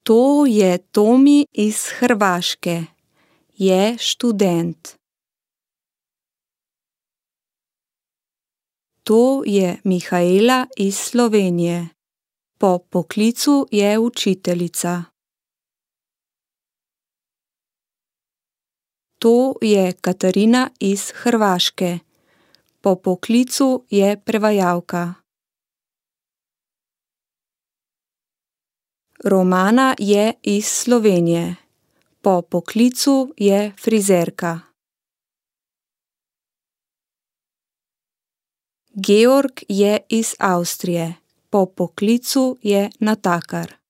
To je Tomi iz Hrvaške. Je študent. To je Mihaela iz Slovenije. Po poklicu je učiteljica. To je Katarina iz Hrvaške. Po poklicu je prevajalka. Romana je iz Slovenije. Po poklicu je frizerka. Georg je iz Avstrije. Po poklicu je natakar.